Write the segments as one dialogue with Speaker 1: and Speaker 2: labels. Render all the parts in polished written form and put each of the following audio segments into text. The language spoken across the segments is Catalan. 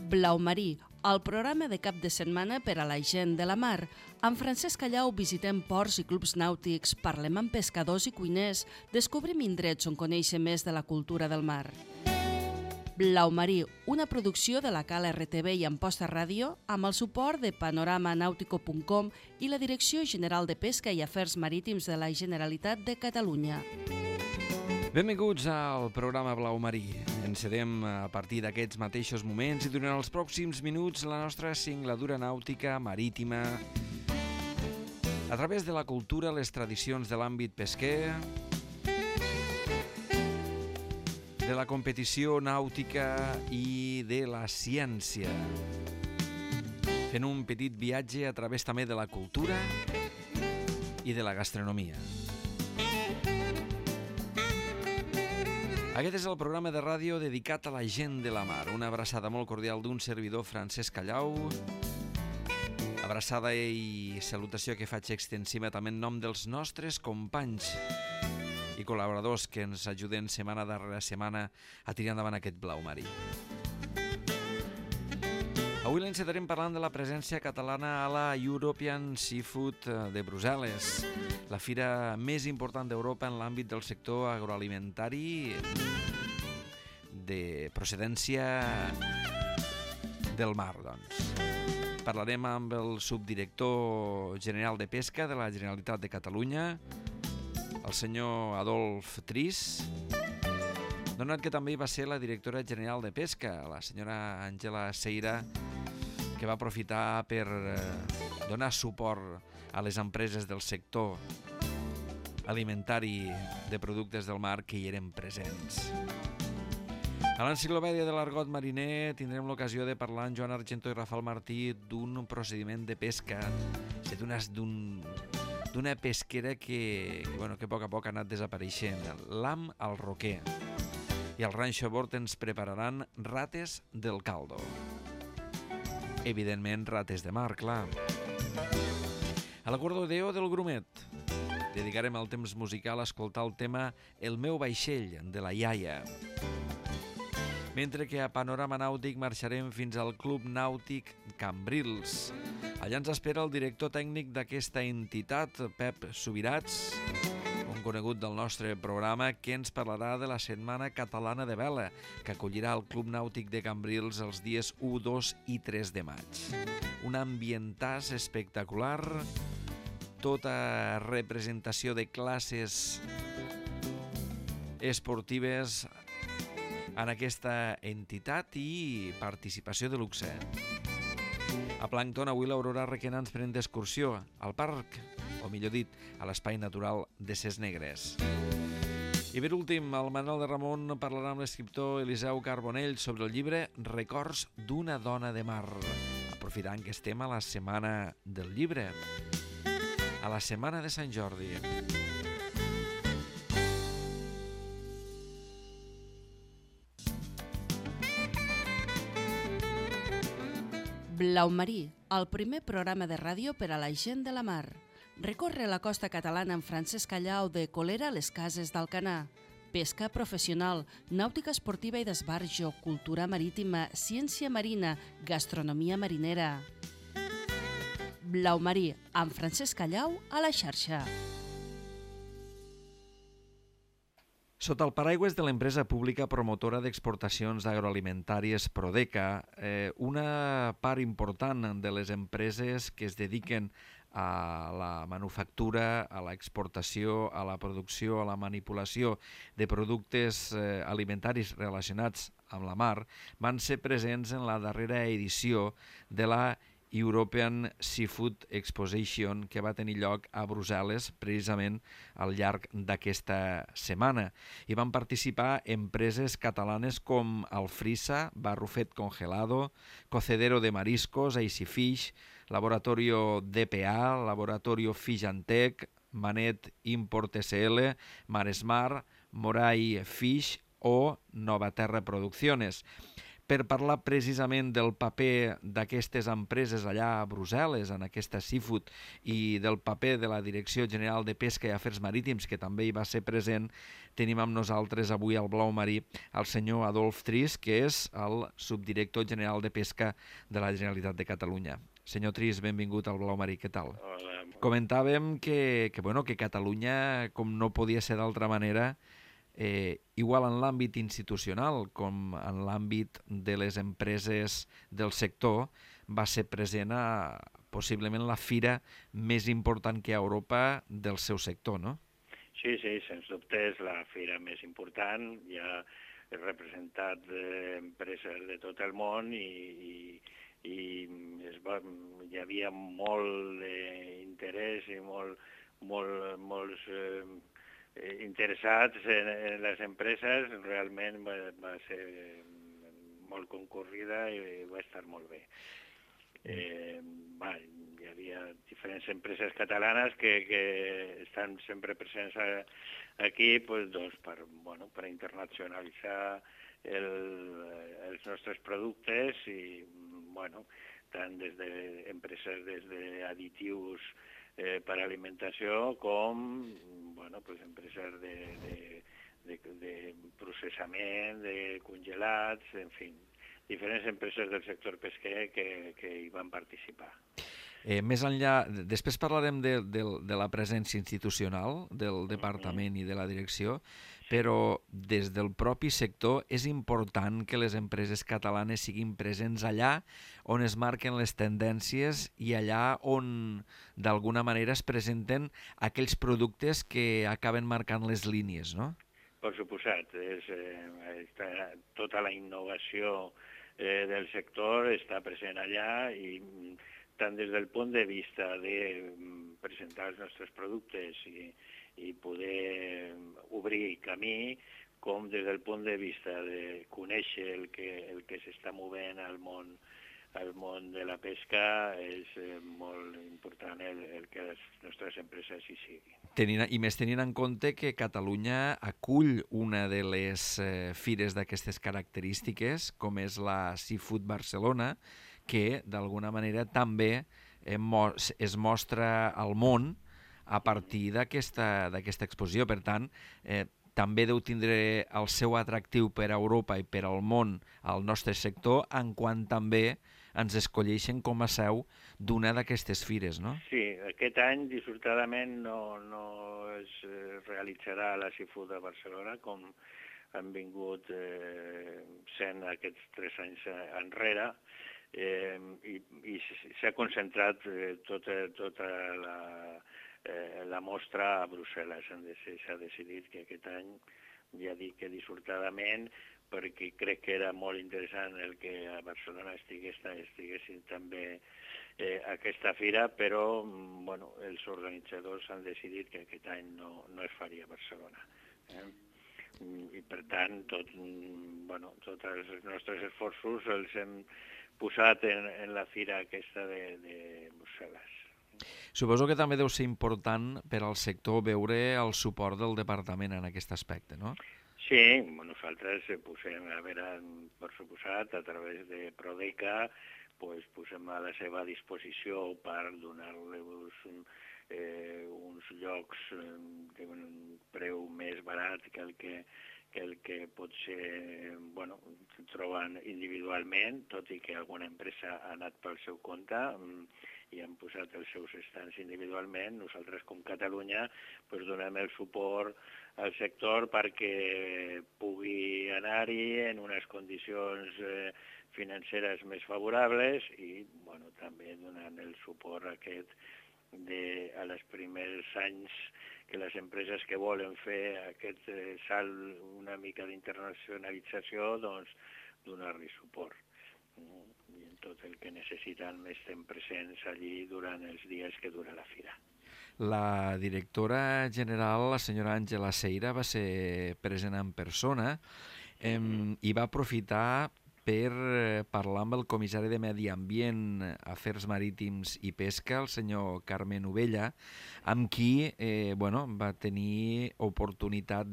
Speaker 1: Blau Marí, el programa de cap de setmana per a la gent de la mar. Amb Francesc Callau visitem ports i clubs nàutics, parlem amb pescadors i cuiners, descobrim indrets on conèixer més de la cultura del mar. Blau Marí, una producció de la Cala RTV i Amposta Ràdio, amb el suport de panoramanautico.com i la Direcció General de Pesca i Afers Marítims de la Generalitat de Catalunya.
Speaker 2: Benvinguts al programa Blau Marí. Encetem a partir d'aquests mateixos moments i durant els pròxims minuts la nostra singladura nàutica marítima a través de la cultura, les tradicions de l'àmbit pesquer, de la competició nàutica i de la ciència, fent un petit viatge a través també de la cultura i de la gastronomia. Aquest és el programa de ràdio dedicat a la gent de la mar. Una abraçada molt cordial d'un servidor, Francesc Callau. Abraçada i salutació que faig extensiva també en nom dels nostres companys i col·laboradors que ens ajuden setmana darrere setmana a tirar endavant aquest Blau Marí. Avui l'encetarem parlant de la presència catalana a la European Seafood de Brussel·les, la fira més important d'Europa en l'àmbit del sector agroalimentari de procedència del mar, doncs. Parlarem amb el subdirector general de Pesca de la Generalitat de Catalunya, el senyor Adolf Tris, donat que també va ser la directora general de Pesca, la senyora Àngela Seira, que va aprofitar per donar suport a les empreses del sector alimentari de productes del mar que hi eren presents. A l'enciclopèdia de l'argot mariner tindrem l'ocasió de parlar amb Joan Argento i Rafael Martí d'un procediment de pesca, d'una pesquera que a poc ha anat desapareixent, l'am al roquer. I al ranxo a bord ens prepararan rates del caldo. Evidentment, rates de mar, clar. A l'acordadeo del Grumet dedicarem el temps musical a escoltar el tema El meu vaixell, de la iaia. Mentre que a Panorama Nàutic marxarem fins al Club Nàutic Cambrils. Allà ens espera el director tècnic d'aquesta entitat, Pep Subirats, un conegut del nostre programa, que ens parlarà de la Setmana Catalana de Vela, que acollirà el Club Nàutic de Cambrils els dies 1, 2 i 3 de maig. Un ambientàs espectacular, tota representació de classes esportives en aquesta entitat i participació de luxe. A Plàncton, avui l'Aurora Requena ens pren d'excursió al parc, o millor dit, a l'espai natural de Ses Negres. I per últim, el Manuel de Ramon parlarà amb l'escriptor Eliseu Carbonell sobre el llibre Records d'una dona de mar, aprofitant que estem a la Setmana del Llibre, a la Setmana de Sant Jordi.
Speaker 1: Blau Marí, el primer programa de ràdio per a la gent de la mar. Recorre la costa catalana amb Francesc Callau de Colera a les Cases d'Alcanar. Pesca professional, nàutica esportiva i d'esbarjo, cultura marítima, ciència marina, gastronomia marinera. Blau Marí, amb Francesc Callau a la xarxa.
Speaker 2: Sota el paraigües de l'empresa pública promotora d'exportacions agroalimentàries Prodeca, una part important de les empreses que es dediquen a la manufactura, a l'exportació, a la producció, a la manipulació de productes alimentaris relacionats amb la mar, van ser presents en la darrera edició de la European Seafood Exposition, que va tenir lloc a Brussel·les precisament al llarg d'aquesta setmana. Hi van participar empreses catalanes com Alfrisa, Barrufet Congelado, Cocedero de Mariscos, Easy Fish, Laboratorio DPA, Laboratorio Fish and Tech, Manet Import SL, Maresmar, Moray Fish o Novaterra Producciones. per parlar precisament del paper d'aquestes empreses allà a Brussel·les, en aquesta Seafood, i del paper de la Direcció General de Pesca i Afers Marítims, que també hi va ser present, tenim amb nosaltres avui al Blau Marí el senyor Adolf Tris, que és el subdirector general de Pesca de la Generalitat de Catalunya. Senyor Tris, benvingut al Blau Marí, què tal?
Speaker 3: Hola.
Speaker 2: Comentàvem que Catalunya, com no podia ser d'altra manera, igual en l'àmbit institucional com en l'àmbit de les empreses del sector, va ser present a possiblement la fira més important que hi ha a Europa del seu sector, no?
Speaker 3: Sí, sens dubte és la fira més important. Hi ha representat empreses de tot el món i hi havia molt d'interès i molts interessats en les empreses. Realment va ser molt concurrida i va estar molt bé. Hi havia diferents empreses catalanes que estan sempre presents aquí per internacionalitzar els nostres productes i tant des d'empreses des d'additius per alimentació com empreses de processament, de congelats, en fi, diferents empreses del sector pesquer que hi van participar.
Speaker 2: Més enllà, després parlarem de la presència institucional del departament i de la direcció, però des del propi sector és important que les empreses catalanes siguin presents allà on es marquen les tendències i allà on d'alguna manera es presenten aquells productes que acaben marcant les línies, no?
Speaker 3: Per suposat, tota la innovació del sector està present allà i tant des del punt de vista de presentar els nostres productes i poder obrir camí, com des del punt de vista de conèixer el que s'està movent al món de la pesca, és molt important el que les nostres empreses hi siguin.
Speaker 2: I més tenint en compte que Catalunya acull una de les fires d'aquestes característiques, com és la Seafood Barcelona, que d'alguna manera també es mostra al món a partir d'aquesta exposició. Per tant, també deu tindre el seu atractiu per a Europa i per al món al nostre sector, en quant també ens escolleixen com a seu d'una d'aquestes fires, no?
Speaker 3: Sí, aquest any, dissortadament, no es realitzarà la Seafood de Barcelona, com han vingut sent aquests 3 anys enrere, i s'ha concentrat tota la mostra a Brussel·les. S'ha decidit que aquest any, ja dic que dissortadament, perquè crec que era molt interessant el que a Barcelona estiguessin també aquesta fira, però els organitzadors han decidit que aquest any no es faria a Barcelona. I per tant, tots els nostres esforços els hem posat en la fira aquesta de Brussel·les.
Speaker 2: Suposo que també deu ser important per al sector veure el suport del departament en aquest aspecte, no?
Speaker 3: Sí, nosaltres posem, per suposat, a través de Prodeca, posem a la seva disposició per donar-los uns llocs d'un preu més barat que el que potser troben individualment, tot i que alguna empresa ha anat pel seu compte i han posat els seus estants individualment. Nosaltres, com Catalunya, donem el suport al sector perquè pugui anar-hi en unes condicions financeres més favorables i també donant el suport aquest a les primers anys que les empreses que volen fer aquest salt una mica d'internacionalització, donar-li suport. I en tot el que necessiten estem presents allí durant els dies que dura la fira.
Speaker 2: La directora general, la senyora Àngela Seira, va ser present en persona i va aprofitar per parlar amb el comissari de Medi Ambient, Afers Marítims i Pesca, el senyor Carmen Ovella, amb qui va tenir oportunitat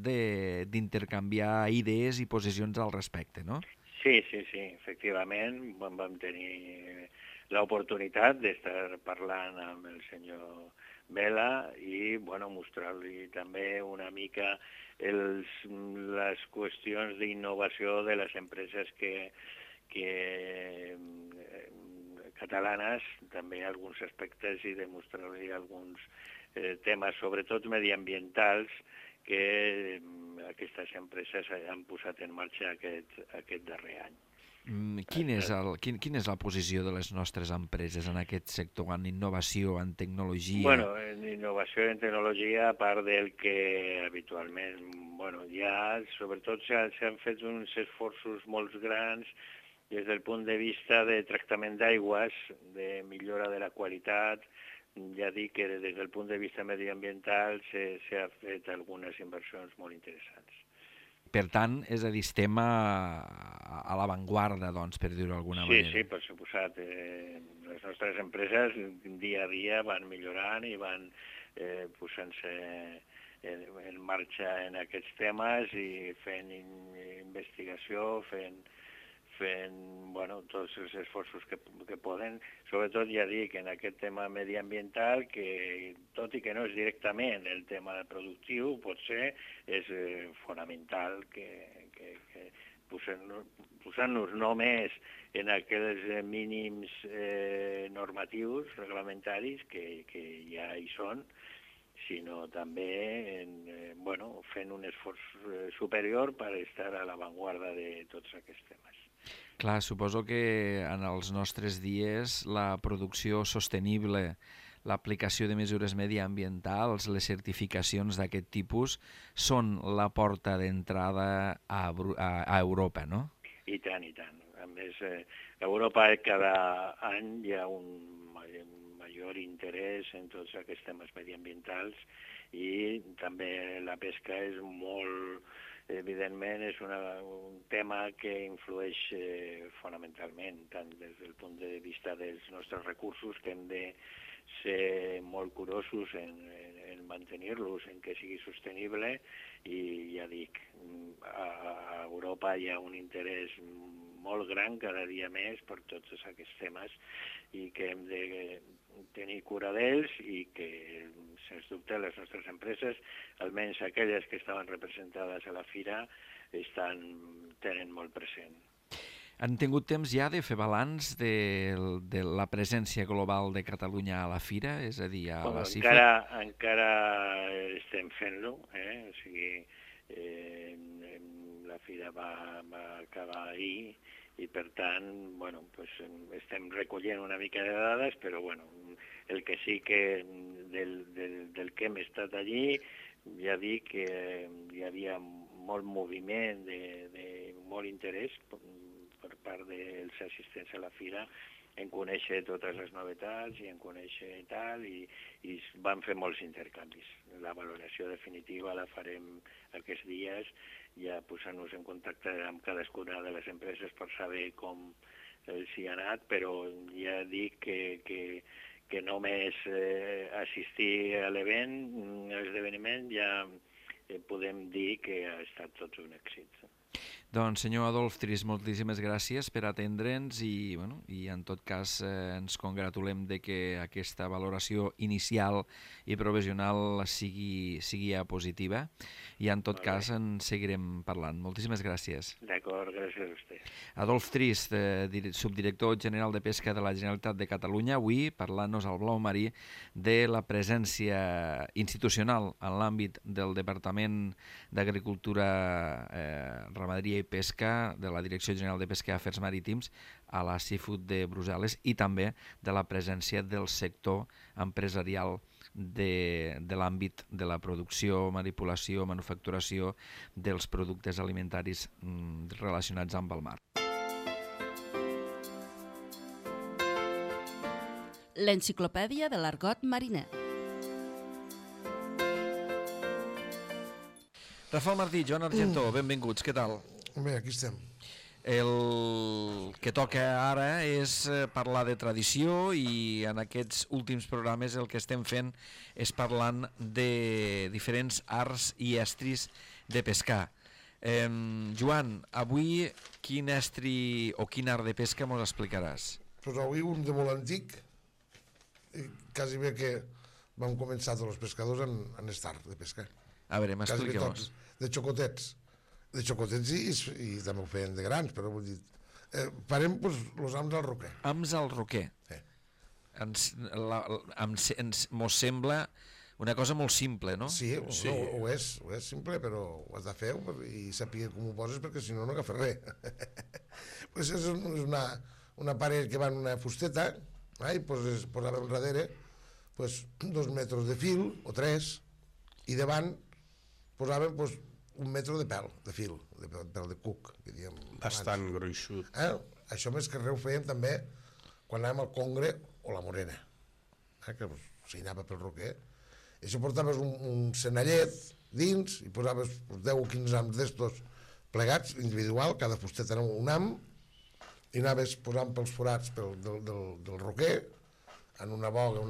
Speaker 2: d'intercanviar idees i posicions al respecte, no?
Speaker 3: Sí, efectivament, vam tenir l'oportunitat d'estar parlant amb el senyor Vela i mostrar-li també una mica les qüestions d'innovació de les empreses catalanes, també alguns aspectes, i demostrar-li alguns temes, sobretot mediambientals, que aquestes empreses han posat en marxa aquest darrer any.
Speaker 2: Quina és la posició de les nostres empreses en aquest sector, en innovació, en tecnologia?
Speaker 3: En innovació i en tecnologia, a part del que habitualment, sobretot s'han fet uns esforços molt grans des del punt de vista de tractament d'aigües, de millora de la qualitat. Ja dic que des del punt de vista mediambiental s'ha fet algunes inversions molt interessants.
Speaker 2: Per tant, és a dir, estem a l'avantguarda, doncs, per dir-ho d'alguna manera.
Speaker 3: Sí, per suposat. Les nostres empreses dia a dia van millorant i van posant-se en marxa en aquests temes i fent investigació, fent tots els esforços que poden. Sobretot, ja dic, en aquest tema mediambiental, que tot i que no és directament el tema productiu, potser és fonamental que posant-nos només en aquells mínims normatius, reglamentaris, que ja hi són, sinó també fent un esforç superior per estar a l'avantguarda de tots aquests temes.
Speaker 2: Clar, suposo que en els nostres dies la producció sostenible, l'aplicació de mesures mediambientals, les certificacions d'aquest tipus són la porta d'entrada a Europa, no?
Speaker 3: I tant. A més, a Europa cada any hi ha un major interès en tots aquests temes mediambientals i també la pesca és molt... Evidentment, és un tema que influeix fonamentalment, tant des del punt de vista dels nostres recursos, que hem de ser molt curosos en mantenir-los, en que sigui sostenible, i ja dic, a Europa hi ha un interès molt gran cada dia més per tots aquests temes i que hem de tenir cura d'ells i que, sens dubte, les nostres empreses, almenys aquelles que estaven representades a la fira, tenen molt present.
Speaker 2: Han tingut temps ja de fer balanç de la presència global de Catalunya a la fira, és a dir, a la CIFET?
Speaker 3: Encara estem fent-lo, o sigui, la fira va acabar ahir i, per tant, estem recollint una mica de dades, però, el que sí que del que hem estat allí, ja dic que hi havia molt moviment, molt interès per part dels assistents a la fira en conèixer totes les novetats i en conèixer tal, i vam fer molts intercanvis. La valoració definitiva la farem aquests dies, ja posant-nos en contacte amb cadascuna de les empreses per saber com s'hi ha anat, però ja dic que només assistir a l'esdeveniment, ja podem dir que ha estat tot un èxit.
Speaker 2: Doncs, senyor Adolf Tris, moltíssimes gràcies per atendre'ns i en tot cas ens congratulem de que aquesta valoració inicial i provisional sigui positiva i en tot cas en seguirem parlant. Moltíssimes gràcies.
Speaker 3: D'acord, gràcies a vostè.
Speaker 2: Adolf Tris, subdirector general de Pesca de la Generalitat de Catalunya, avui parlant-nos al Blau Marí de la presència institucional en l'àmbit del Departament d'Agricultura, Ramaderia i Pesca de la Direcció General de Pesca i Afers Marítims a la Seafood de Brussel·les i també de la presència del sector empresarial de l'àmbit de la producció, manipulació, manufacturació dels productes alimentaris relacionats amb el mar.
Speaker 1: L'enciclopèdia de l'argot mariner.
Speaker 2: Rafael Martí, Joan Argentó, benvinguts, què tal?
Speaker 4: Bé, aquí estem.
Speaker 2: El que toca ara és parlar de tradició i en aquests últims programes el que estem fent és parlant de diferents arts i estris de pescar. Joan, avui quin estri o quin art de pesca mos explicaràs?
Speaker 4: Pues avui un de molt antic, quasi bé que vam començar tots els pescadors en estar de pesca.
Speaker 2: A veure, m'expliqueu-nos.
Speaker 4: De xocotets. De xocotets i també ho feien de grans, però vull dir... farem els ams al roquer.
Speaker 2: Ams al roquer. Mos sembla una cosa molt simple, no?
Speaker 4: Sí, ho és simple, però ho has de fer i saber com ho poses, perquè si no, no agafes res. Pues és una paret que va en una fusteta, i posàvem darrere 2 metres de fil, o 3, i davant posàvem 1 metre de pèl, de fil, de pèl de cuc, que diem.
Speaker 5: Bastant gruixut.
Speaker 4: Això més que res ho fèiem també quan anàvem al Congre o la Morena, que s'hi anava pel roquer. I això portaves un senallet dins i posaves 10 o 15 ams d'estos plegats, individual, cada fustet era un am, i anaves posant pels forats del roquer, en una boga,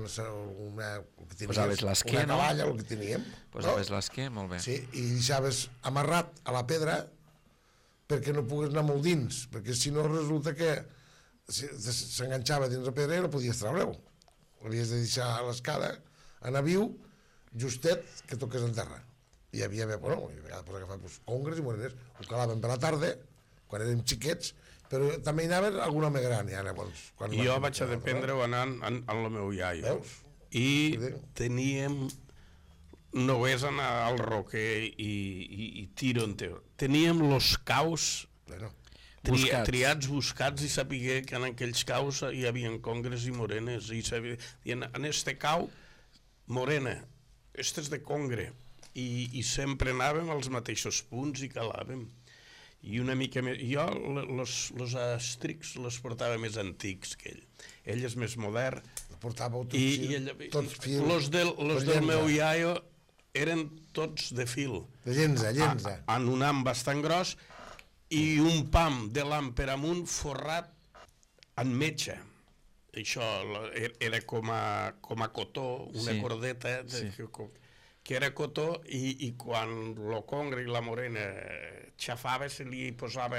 Speaker 2: posaves l'esquer,
Speaker 4: una cavalla, el que teníem.
Speaker 2: Posaves l'esquer, molt bé.
Speaker 4: Sí, i deixaves amarrat a la pedra perquè no pogués anar molt dins, perquè si no resulta que s'enganxava dins la pedra i no podies treure-ho. L'havies de deixar a l'escala, anar viu, justet que toqués en terra. I hi havia, a vegades agafar congres i moreners, ho calaven per la tarda, quan érem xiquets, però també hi anava algun home gran.
Speaker 5: Jo vaig a dependre-ho anant amb el meu iaio. I teníem, només anar al roquer i tiro en teu. Teníem els caus triats, buscats, i sapigué que en aquells caus hi havia congres i morenes. I en este cau, morena, este és de congre. I sempre anàvem als mateixos punts i calàvem. I una mica més... Jo els estrics els portava més antics que ell. Ell és més modern.
Speaker 4: Portàveu tots fil.
Speaker 5: Els del meu iaio eren tots de fil.
Speaker 4: De llenza.
Speaker 5: En un am bastant gros i un pam de l'am per amunt forrat en metxa. Això era com a cotó, una cordeta que era cotó, i quan el congre i la morena xafava se li posava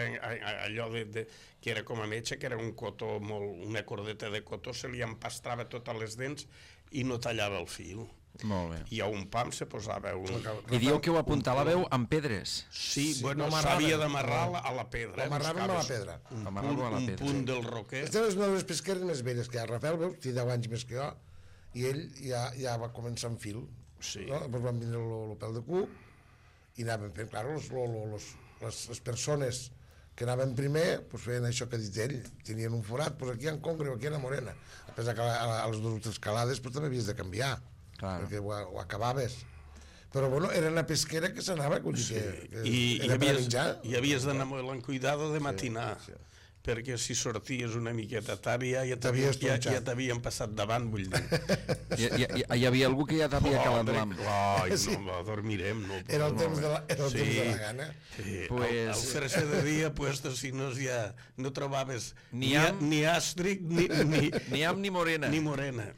Speaker 5: allò que era com a metge, que era un cotó, una cordeta de cotó, se li empastrava totes les dents i no tallava el fil.
Speaker 2: Molt bé.
Speaker 5: I a un pam se posava
Speaker 2: I dieu que ho apuntàveu amb pedres.
Speaker 5: Sí, bueno, s'havia d'amarrar a la pedra.
Speaker 4: L'amarràvem a la pedra.
Speaker 5: Un punt del roquer.
Speaker 4: Estem les meves pesqueres més velles que hi ha. Rafael, veus, té 10 anys més que jo, i ell ja va començar amb fil.
Speaker 5: Sí.
Speaker 4: Després van vindre el pèl de cuc i anaven fent, clar, les persones que anaven primer feien això que ha dit ell, tenien un forat, aquí hi ha congre o aquí hi ha morena. A pesar que a les 2 o 3 calades també havies de canviar, perquè ho acabaves. Però bueno, era una pesquera que s'anava,
Speaker 5: i havies d'anar molt en cuidado de matinar, perquè si sorties una miqueta tard ja t'havien passat davant, vull dir.
Speaker 2: Hi havia algú que ja t'havia calat l'am.
Speaker 5: No, dormirem.
Speaker 4: Era el temps de la gana.
Speaker 5: Al fer-se de dia, si no ja no trobaves ni àstric,
Speaker 2: ni am ni morena.
Speaker 5: Ni morena.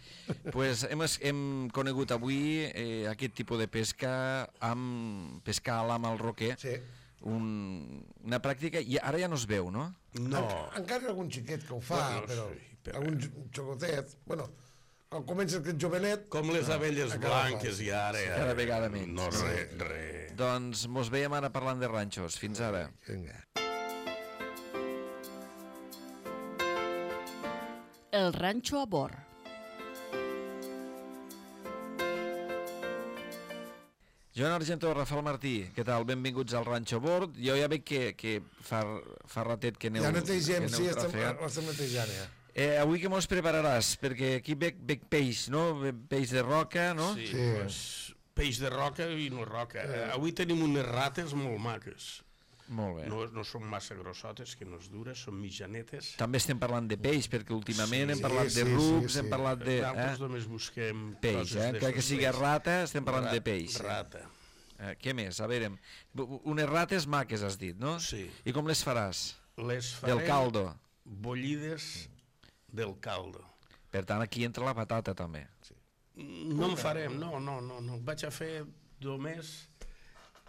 Speaker 2: Hem conegut avui aquest tipus de pesca, pescar a l'am al roquer.
Speaker 4: Sí.
Speaker 2: Una pràctica, i ara ja no es veu, no?
Speaker 5: No.
Speaker 4: Encara hi ha algun xiquet que ho fa, però algun xocotet, bueno, quan comença aquest jovenet...
Speaker 5: Com les abelles blanques i ara...
Speaker 2: Cada vegada menys.
Speaker 5: No, res.
Speaker 2: Doncs mos veiem ara parlant de ranxos. Fins ara.
Speaker 4: Vinga.
Speaker 1: El ranxo a bord.
Speaker 2: Joan Argento, Rafael Martí, què tal? Benvinguts al Ranxo Bord. Jo ja veig que fa ratet que aneu
Speaker 4: netegem, sí, estem netejant ja.
Speaker 2: Avui què mos prepararàs? Perquè aquí veig peix, no? Peix de roca, no?
Speaker 5: Sí, peix de roca i no roca. Avui tenim unes rates molt maques.
Speaker 2: Molt bé.
Speaker 5: No són massa grossotes, que no és dures, són mitjanetes.
Speaker 2: També estem parlant de peix, perquè últimament hem parlat de rucs, hem parlat de...
Speaker 5: Nosaltres només busquem
Speaker 2: peix, encara que sigui rata, estem parlant de peix.
Speaker 5: Rata.
Speaker 2: Què més? A veure, unes rates maques has dit, no?
Speaker 5: Sí.
Speaker 2: I com les faràs?
Speaker 5: Les farem...
Speaker 2: Del caldo.
Speaker 5: Bullides del caldo.
Speaker 2: Per tant, aquí entra la patata, també.
Speaker 5: No en farem, no. Vaig a fer només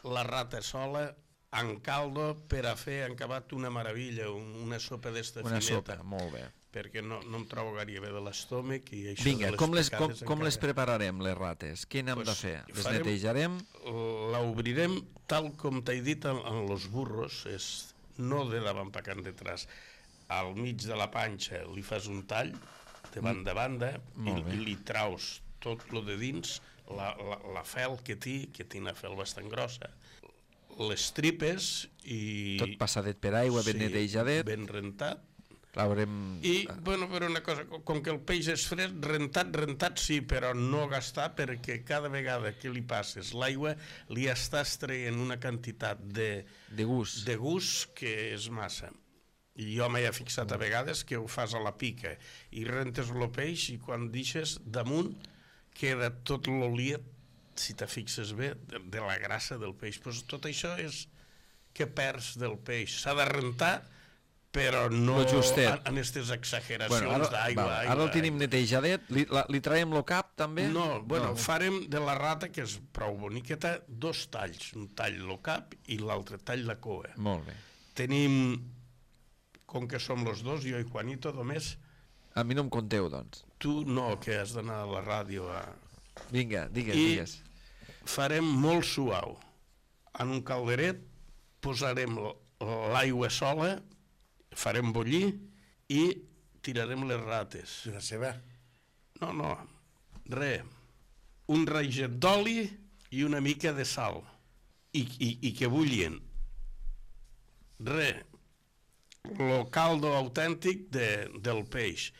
Speaker 5: la rata sola en caldo per a fer, han acabat una meravella, una sopa d'esta fineta.
Speaker 2: Una sopa, molt bé.
Speaker 5: Perquè no em trobo gaire bé de l'estómac i això
Speaker 2: Vinga,
Speaker 5: de
Speaker 2: com les
Speaker 5: encara...
Speaker 2: prepararem, les rates? Què n'hem de fer? Les netejarem?
Speaker 5: L'obrirem tal com t'he dit en los burros, és no de davant per can detrás. Al mig de la panxa li fas un tall, de banda a banda, i li traus tot lo de dins, la fel que té una fel bastant grossa, les tripes i...
Speaker 2: Tot passadet per aigua, ben netejadet.
Speaker 5: Ben rentat.
Speaker 2: I,
Speaker 5: bueno, però una cosa, com que el peix és fred, rentat sí, però no gastar, perquè cada vegada que li passes l'aigua li estàs traient una quantitat de gust que és massa. I jo m'he fixat a vegades que ho fas a la pica i rentes el peix i quan deixes damunt queda tot l'oliet, si te fixes bé, de la grassa del peix. Pues tot això és que perds del peix. S'ha de rentar, però no en aquestes exageracions d'aigua.
Speaker 2: Ara el tenim netejadet, li traiem el cap també?
Speaker 5: No, farem de la rata, que és prou boniqueta, 2 talls, un tall el cap i l'altre tall la cua.
Speaker 2: Molt bé.
Speaker 5: Tenim, com que som los dos, jo i Juanito, només...
Speaker 2: A mi no em conteu, doncs.
Speaker 5: Tu no, que has d'anar a la ràdio a...
Speaker 2: Vinga, digues.
Speaker 5: I farem molt suau. En un calderet posarem l'aigua sola, farem bullir i tirarem les rates.
Speaker 4: I la ceba?
Speaker 5: No, res. Un raiget d'oli i una mica de sal. I que bullien. Res. El caldo autèntic del peix.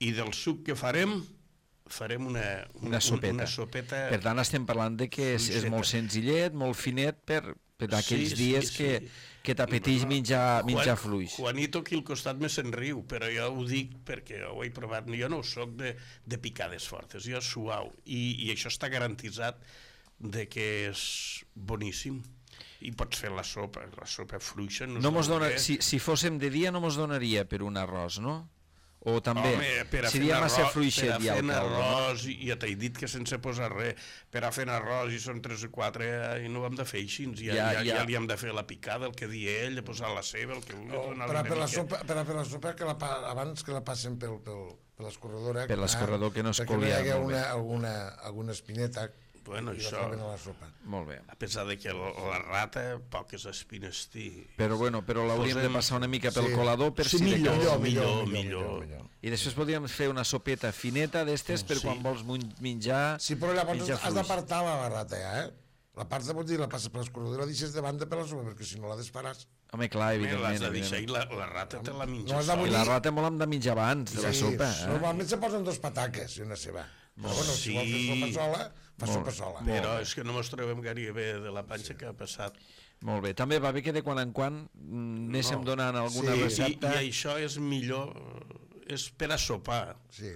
Speaker 5: I del suc que farem una sopeta.
Speaker 2: Per tant, estem parlant de que és molt senzillet, molt finet per aquells dies que t'apeteix menjar fluix.
Speaker 5: Juanito aquí al costat me se'n riu, però jo ho dic perquè ho he provat. Jo no soc de picades fortes, jo suau. I això està garantitzat de que és boníssim. I pots fer la sopa fluixa.
Speaker 2: Si fóssim de dia no mos donaria per un arròs, no? O també, seria massa fluixet ja el caldo.
Speaker 5: Per a fer arròs, ja t'he dit que sense posar res, per a fer arròs i són 3 o 4 i no ho hem de fer així, ja li hem de fer la picada, el que di ell, de posar la ceba, el que vulgui.
Speaker 4: Per a fer la sopa, abans que la passen per l'escorredor,
Speaker 2: per l'escorredor que no es coli.
Speaker 4: Perquè hi hagi alguna espineta.
Speaker 5: Bueno, això,
Speaker 2: molt bé.
Speaker 5: A pesar de que la rata poques espines té.
Speaker 2: Però l'hauríem de passar una mica pel colador per si de cas.
Speaker 5: Millor.
Speaker 2: I després podríem fer una sopeta fineta d'estes per quan vols menjar.
Speaker 4: Sí, però llavors has d'apartar la rata, La part de dir, la passes per l'escorredor i la deixes de banda per la sopa, perquè si no la desfaràs.
Speaker 2: Home, clar, evidentment.
Speaker 5: L'has de deixar i la rata te la menges.
Speaker 2: I la rata molt hem de menjar abans de la sopa.
Speaker 4: Normalment se posen 2 pataques i una ceba. Però si vols fer sopa sola, fa sopa sola.
Speaker 5: Però és que no mos trobem gaire bé de la panxa que ha passat.
Speaker 2: Molt bé. També va bé que de quan en quan anéssim donant alguna recepta.
Speaker 5: I això és millor, és per a sopar.
Speaker 4: Sí.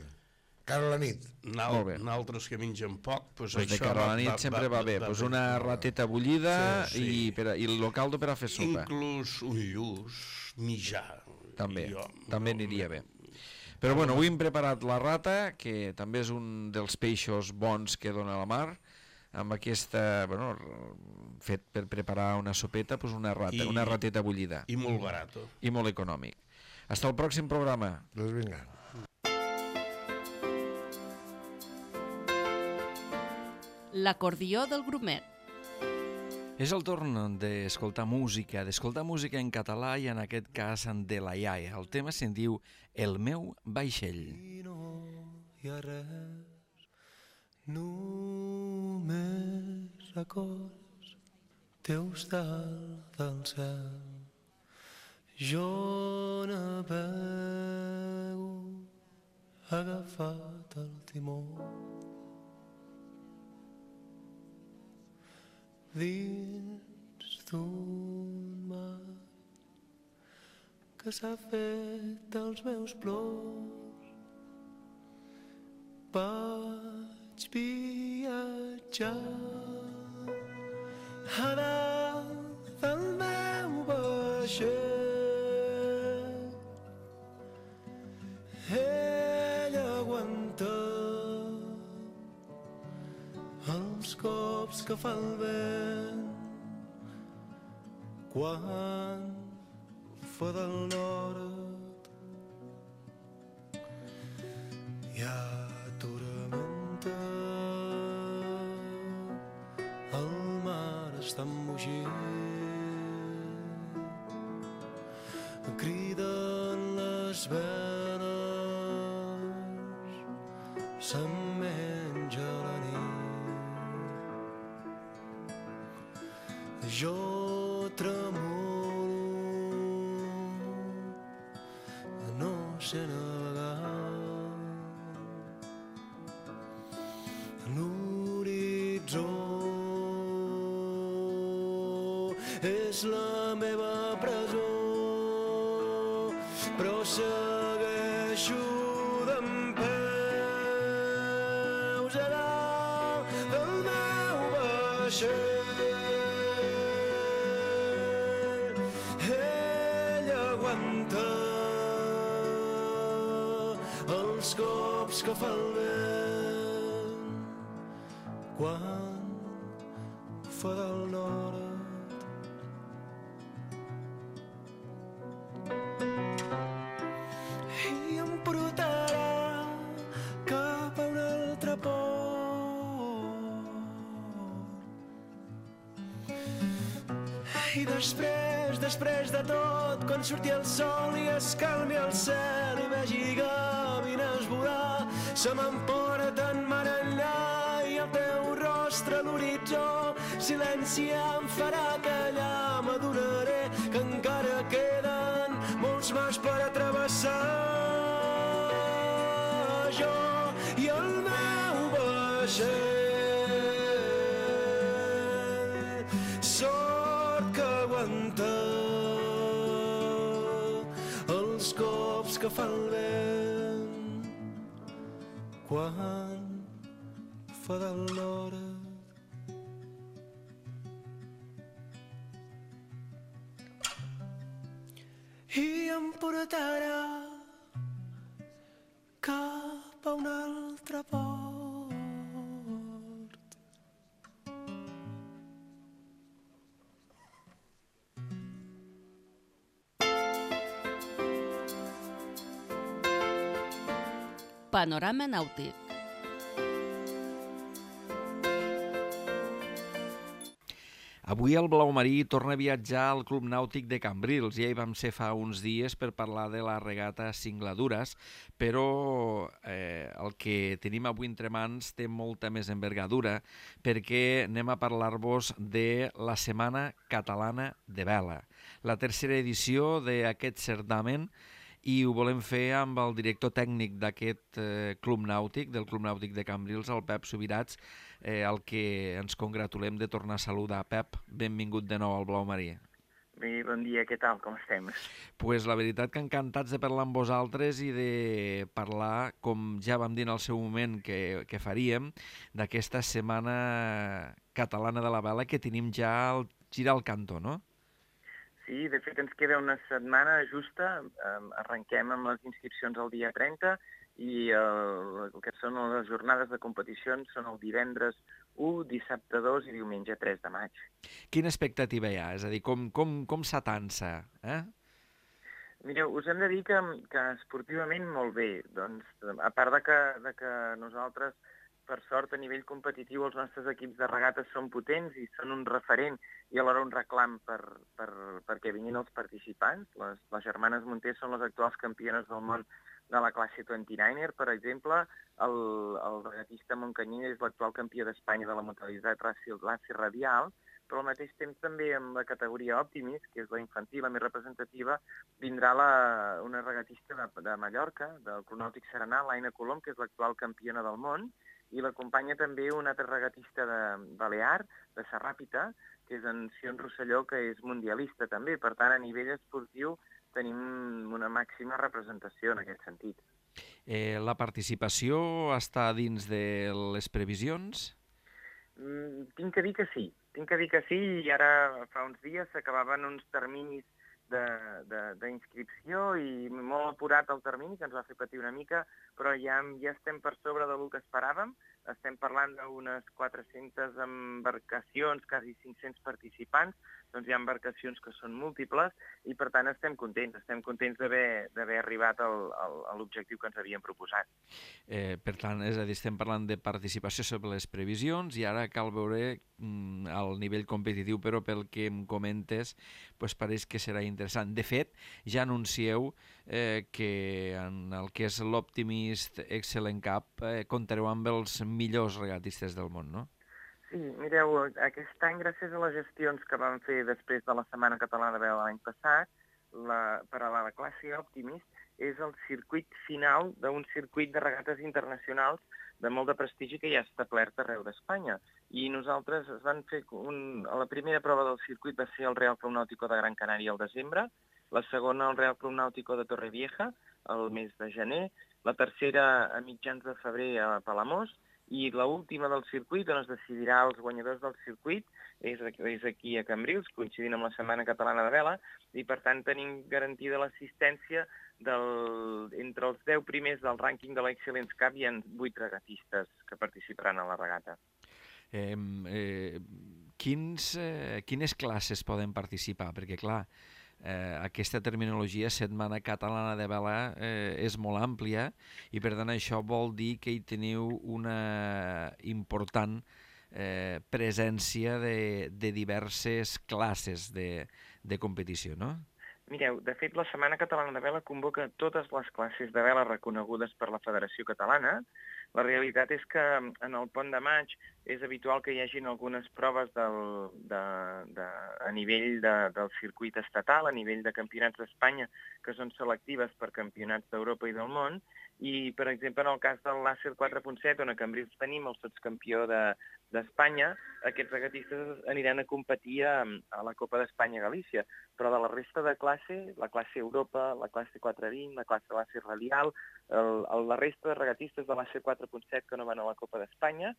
Speaker 4: Cara a la nit.
Speaker 5: Nosaltres que mengen poc, doncs això...
Speaker 2: De cara a la nit sempre va bé. Una rateta bullida i el caldo per a fer sopa.
Speaker 5: Inclús un lluç, mitjà.
Speaker 2: També aniria bé. Però avui hem preparat la rata, que també és un dels peixos bons que dona la mar, amb aquesta, fet per preparar una sopeta, una rateta bullida.
Speaker 5: I molt barat.
Speaker 2: I molt econòmic. Fins al pròxim programa.
Speaker 4: Doncs vinga.
Speaker 1: L'acordió del grumet.
Speaker 2: És el torn d'escoltar música en català i en aquest cas de la iaia. El tema se'n diu El meu vaixell.
Speaker 6: I no hi ha res, només records teus dalt del cel. Jo navego agafat el timó dins d'un mar que s'ha fet dels meus plors. Vaig viatjar a dalt del meu vaixell. Ell aguanta els cops que fa el vent quan fa del nord hi ha tormenta, el mar està embogint, criden les veles, se'n menja la nit. Jo tremolo, no sé navegar, l'horitzó és la meva presó, però segueixo dempeus a dalt del meu vaixell. Ell aguanta els cops que fa el vent quan fa del nord. I em portarà cap a un altre port. I després de tot, quan surti el sol i es calmi el cel i vegi gavines volar, se m'emporten mar enllà i el teu rostre a l'horitzó, silenci em farà callar, m'adonaré que encara queden molts mars per atrevessar. Jo i el meu vaixell, sort que aguanta els cops que fa el vent quan fa del nord. I em portarà cap a un altre port.
Speaker 1: Panorama nàutic.
Speaker 2: Avui el Blau Marí torna a viatjar al Club Nàutic de Cambrils. Ja hi vam ser fa uns dies per parlar de la regata Singladures, però el que tenim avui entre mans té molta més envergadura perquè anem a parlar-vos de la Setmana Catalana de Vela, la tercera edició d'aquest certamen, i ho volem fer amb el director tècnic d'aquest Club Nàutic, del Club Nàutic de Cambrils, el Pep Subirats, el que ens congratulem de tornar a saludar. Pep, benvingut de nou al Blau Marí.
Speaker 7: Bé, bon dia, què tal, com estem?
Speaker 2: Pues la veritat que encantats de parlar amb vosaltres i de parlar, com ja vam dir en el seu moment que faríem, d'aquesta Setmana Catalana de la Vela que tenim ja al girar al cantó, no?
Speaker 7: Sí, de fet ens queda una setmana justa, arrenquem amb les inscripcions el dia 30 i el que són les jornades de competicions són el divendres 1, dissabte 2 i diumenge 3 de maig.
Speaker 2: Quina expectativa hi ha? És a dir, com s'atansa?
Speaker 7: Mireu, us hem de dir que esportivament molt bé. Doncs, a part de que nosaltres, per sort, a nivell competitiu, els nostres equips de regates són potents i són un referent i alhora un reclam perquè vinguin els participants. Les germanes Monter són les actuals campiones del món de la classe 29er, per exemple. El regatista Montcanyí és l'actual campió d'Espanya de la modalitat glaci radial, però al mateix temps també en la categoria Optimis, que és la infantil, la més representativa, vindrà una regatista de Mallorca, del Club Nàutic Serenà, l'Aina Colom, que és l'actual campiona del món, i l'acompanya també un altre regatista de Balear, de Sarràpita, que és en Sion Rosselló, que és mundialista també. Per tant, a nivell esportiu tenim una màxima representació en aquest sentit.
Speaker 2: La participació està dins de les previsions?
Speaker 7: Tinc que dir que sí, i ara fa uns dies s'acabaven uns terminis d'inscripció i molt apurat el termini, que ens va fer patir una mica, però ja estem per sobre del que esperàvem. estem parlant d'unes 400 embarcacions, quasi 500 participants, doncs hi ha embarcacions que són múltiples i per tant estem contents d'haver arribat a l'objectiu que ens havíem proposat.
Speaker 2: Per tant, és a dir, estem parlant de participació sobre les previsions i ara cal veure el nivell competitiu, però pel que em comentes pareix que serà interessant. De fet, ja anuncieu que en el que és l'Optimist Excellent Cup comptareu amb els millors regatistes del món, no?
Speaker 7: Sí, mireu, aquest any, gràcies a les gestions que vam fer després de la Setmana Catalana de Vela l'any passat, per a la classe Optimist, és el circuit final d'un circuit de regates internacionals de molt de prestigi que ja ha establert arreu d'Espanya. I nosaltres es van fer la primera prova del circuit va ser el Real Club Náutico de Gran Canària al desembre, la segona el Real Club Náutico de Torrevieja al mes de gener, la tercera a mitjans de febrer a Palamós, i l'última del circuit, on es decidirà els guanyadors del circuit, és aquí a Cambrils, coincidint amb la Setmana Catalana de Vela, i per tant tenim garantida l'assistència entre els 10 primers del rànquing de l'Excellence Cup hi ha 8 regatistes que participaran a la regata.
Speaker 2: Quines classes poden participar? Perquè, clar, aquesta terminologia Setmana Catalana de Vela és molt àmplia i per tant això vol dir que hi teniu una important presència de diverses classes de competició, no?
Speaker 7: Mireu, de fet, la Setmana Catalana de Vela convoca totes les classes de vela reconegudes per la Federació Catalana. La realitat és que en el Pont de Maig és habitual que hi hagin algunes proves a nivell del circuit estatal, a nivell de campionats d'Espanya, que són selectives per campionats d'Europa i del món, i, per exemple, en el cas del Làser 4.7, on a Cambrils tenim el sotscampió d'Espanya, aquests regatistes aniran a competir a la Copa d'Espanya a Galícia, però de la resta de classe, la classe Europa, la classe 420, la classe Làser Radial, la resta de regatistes de Làser 4.7 que no van a la Copa d'Espanya,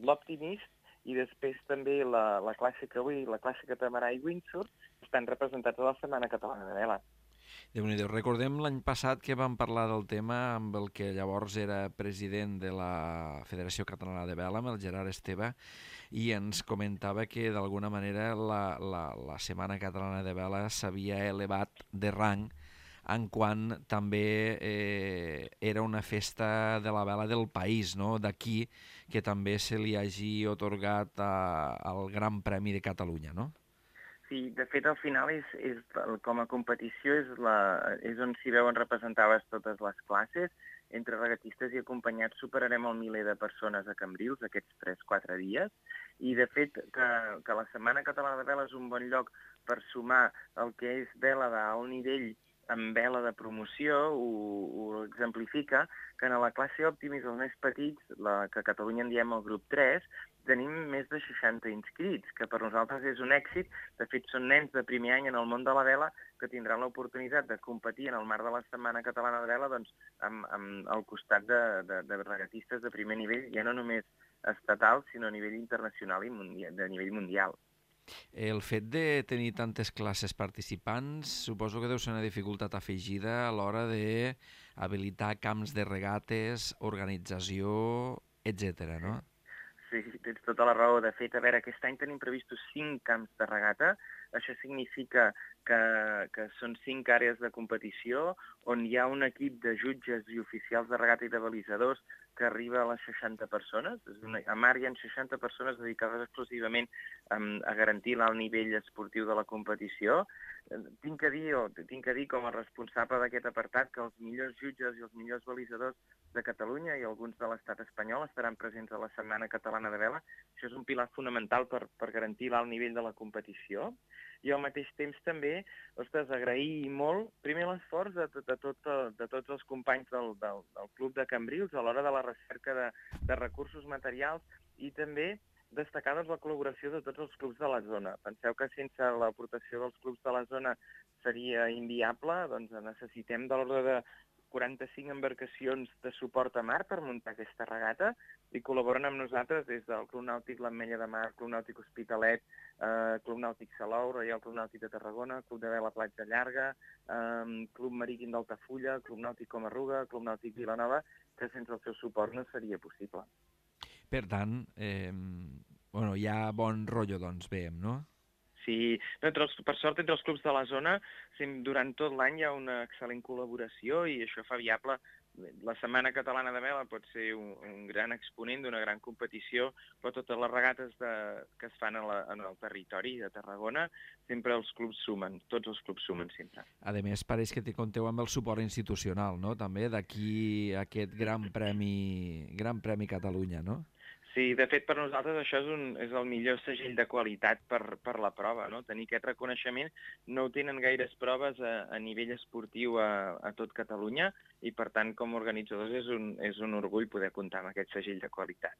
Speaker 7: l'Optimist i després també la classe Cauí, la classe Catamarà i Windsurf estan representats a la Setmana Catalana de Vela.
Speaker 2: Déu-n'hi-do. Recordem l'any passat que vam parlar del tema amb el que llavors era president de la Federació Catalana de Vela, amb el Gerard Esteve, i ens comentava que d'alguna manera la Setmana Catalana de Vela s'havia elevat de rang en quant també era una festa de la vela del país, no? D'aquí que també se li hagi atorgat el Gran Premi de Catalunya, no?
Speaker 7: Sí, de fet, al final, com a competició, és on s'hi veuen representades totes les classes. Entre regatistes i acompanyats superarem el miler de persones a Cambrils aquests 3-4 dies. I, de fet, que la Setmana Catalana de Vela és un bon lloc per sumar el que és vela d'alt nivell amb vela de promoció, ho exemplifica, que en la classe Optimist, els més petits, que a Catalunya en diem el grup 3, tenim més de 60 inscrits, que per nosaltres és un èxit. De fet, són nens de primer any en el món de la vela que tindran l'oportunitat de competir en el marc de la Setmana Catalana de Vela al costat de regatistes de primer nivell, ja no només estatal, sinó a nivell internacional i de nivell mundial.
Speaker 2: El fet de tenir tantes classes participants suposo que deu ser una dificultat afegida a l'hora d'habilitar camps de regates, organització, etc., no?
Speaker 7: Sí, tens tota la raó. De fet, a veure, aquest any tenim previstos 5 camps de regata. Això significa que són 5 àrees de competició on hi ha un equip de jutges i oficials de regata i de balisadors que arriba a les 60 persones. A mar hi ha 60 persones dedicades exclusivament a garantir l'alt nivell esportiu de la competició. Tinc que dir com a responsable d'aquest apartat que els millors jutges i els millors balisadors de Catalunya i alguns de l'estat espanyol estaran presents a la Setmana Catalana de Vela. Això és un pilar fonamental per garantir l'alt nivell de la competició. I al mateix temps també, agrair molt, primer l'esforç de tots els companys del Club de Cambrils a l'hora de la recerca de recursos materials i també destacar la col·laboració de tots els clubs de la zona. Penseu que sense l'aportació dels clubs de la zona seria inviable, doncs necessitem de l'ordre de 45 embarcacions de suport a mar per muntar aquesta regata i col·laboren amb nosaltres des del Club Nàutic l'Ametlla de Mar, Club Nàutic Hospitalet, Club Nàutic Salou, Reial Club Nàutic de Tarragona, Club de Vela Platja Llarga, Club Marítim d'Altafulla, Club Nàutic Comarruga, Club Nàutic Vilanova, que sense el seu suport no seria possible.
Speaker 2: Per tant, hi ha bon rotllo, doncs, veiem, no?
Speaker 7: Sí, per sort, entre els clubs de la zona, durant tot l'any hi ha una excel·lent col·laboració i això fa viable. La Setmana Catalana de Vela pot ser un gran exponent d'una gran competició, però totes les regates que es fan en el territori de Tarragona, sempre els clubs sumen, tots els clubs sumen sempre.
Speaker 2: A més, pareix que compteu amb el suport institucional, no?, també, d'aquí aquest Gran Premi Catalunya, no?
Speaker 7: Sí, de fet, per nosaltres això és el millor segell de qualitat per la prova, no? Tenir aquest reconeixement. No ho tenen gaires proves a nivell esportiu a tot Catalunya i, per tant, com a organitzadors és un orgull poder comptar amb aquest segell de qualitat.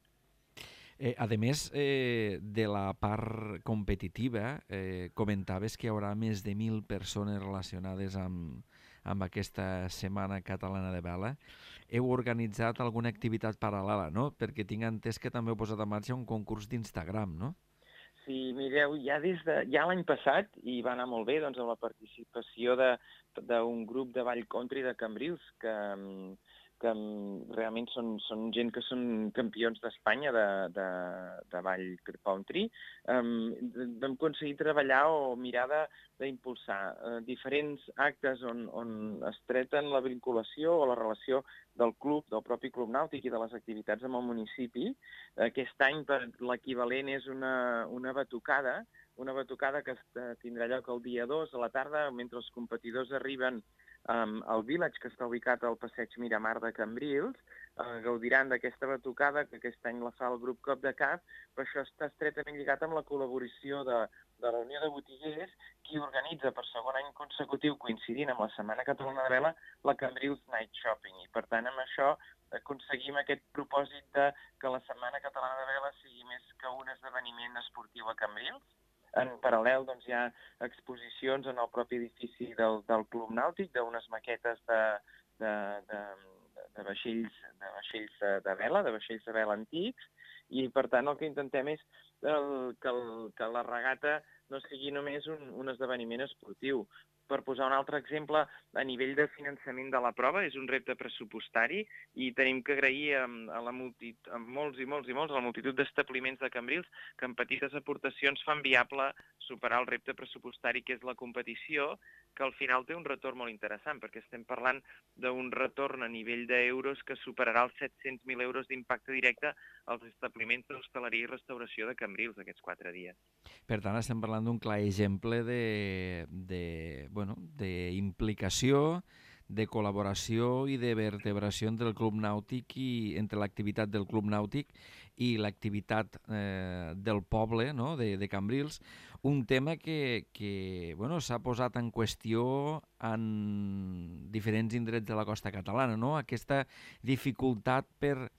Speaker 2: A més, de la part competitiva, comentaves que hi haurà més de 1.000 persones relacionades amb aquesta Setmana Catalana de Vela. Heu organitzat alguna activitat paral·lela, no? Perquè tinc entès que també heu posat en marxa un concurs d'Instagram, no?
Speaker 7: Sí, mireu, ja l'any passat, i va anar molt bé, doncs, amb la participació d'un grup de ball country de Cambrils, que realment són gent que són campions d'Espanya de ball country. Vam aconseguir treballar o mirar d'impulsar diferents actes on es treten la vinculació o la relació del club, del propi club nàutic i de les activitats amb el municipi. Aquest any l'equivalent és una batucada que tindrà lloc el dia 2 a la tarda, mentre els competidors arriben al Village, que està ubicat al passeig Miramar de Cambrils. Gaudiran d'aquesta batucada, que aquest any la fa el grup Cop de Cap, però això està estretament lligat amb la col·laboració de la Unió de Botiguers, qui organitza per segon any consecutiu, coincidint amb la Setmana Catalana de Vela, la Cambrils Night Shopping. I, per tant, amb això aconseguim aquest propòsit que la Setmana Catalana de Vela sigui més que un esdeveniment esportiu a Cambrils. En paral·lel, doncs, hi ha exposicions en el propi edifici del Club Nàutic, d'unes maquetes de vaixells de vela antics, i, per tant, el que intentem és que la regata no sigui només un esdeveniment esportiu. Per posar un altre exemple, a nivell de finançament de la prova, és un repte pressupostari i tenim que agrair a molts a la multitud d'establiments de Cambrils que amb petites aportacions fan viable superar el repte pressupostari que és la competició, que al final té un retorn molt interessant, perquè estem parlant d'un retorn a nivell d'euros que superarà els 700.000 euros d'impacte directe als establiments d'hostaleria i restauració de Cambrils aquests 4 dies.
Speaker 2: Per tant, estem parlant d'un clar exemple d'implicació, de col·laboració i de vertebració entre el club nàutic i entre l'activitat del club nàutic i l'activitat del poble, no?, de Cambrils, un tema que s'ha posat en qüestió en diferents indrets de la costa catalana, no? Aquesta dificultat per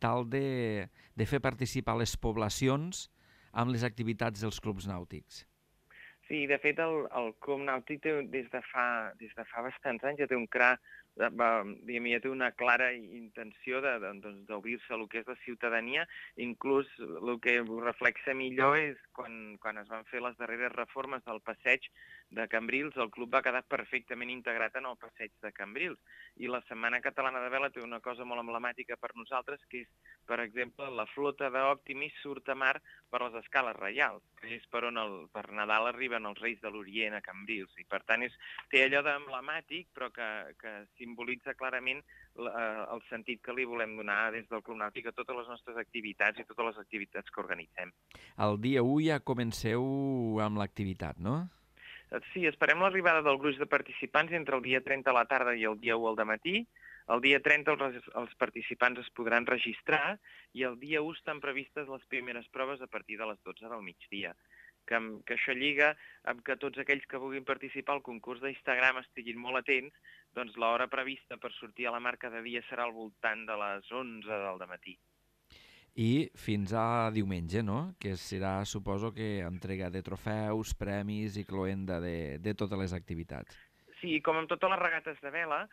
Speaker 2: tal de fer participar les poblacions amb les activitats dels clubs nàutics.
Speaker 7: Sí, de fet, el Club Nàutic des de fa bastants anys ja té ja té una clara intenció d'obrir-se a lo que és la ciutadania. Inclús el que ho reflexa millor és quan es van fer les darreres reformes del passeig de Cambrils, el club va quedar perfectament integrat en el passeig de Cambrils. I la Setmana Catalana de Vela té una cosa molt emblemàtica per nosaltres, que és, per exemple, la flota d'Optimis surt a mar per les escales reials, que és per on per Nadal arriben els Reis de l'Orient a Cambrils. I, per tant, té allò d'emblemàtic, però que simbolitza clarament el sentit que li volem donar des del Club Nàutic a totes les nostres activitats i totes les activitats que organitzem.
Speaker 2: El dia 1 ja comenceu amb l'activitat, no?
Speaker 7: Sí, esperem l'arribada del gruix de participants entre el dia 30 a la tarda i el dia 1 al dematí. El dia 30 els participants es podran registrar i el dia 1 estan previstes les primeres proves a partir de les 12 del migdia. Que això lliga amb que tots aquells que vulguin participar al concurs d'Instagram estiguin molt atents, doncs l'hora prevista per sortir a la mar cada dia serà al voltant de les 11 del dematí.
Speaker 2: I fins a diumenge, no?, que serà, suposo que, entrega de trofeus, premis i cloenda de totes les activitats.
Speaker 7: Sí, com amb totes les regates de vela,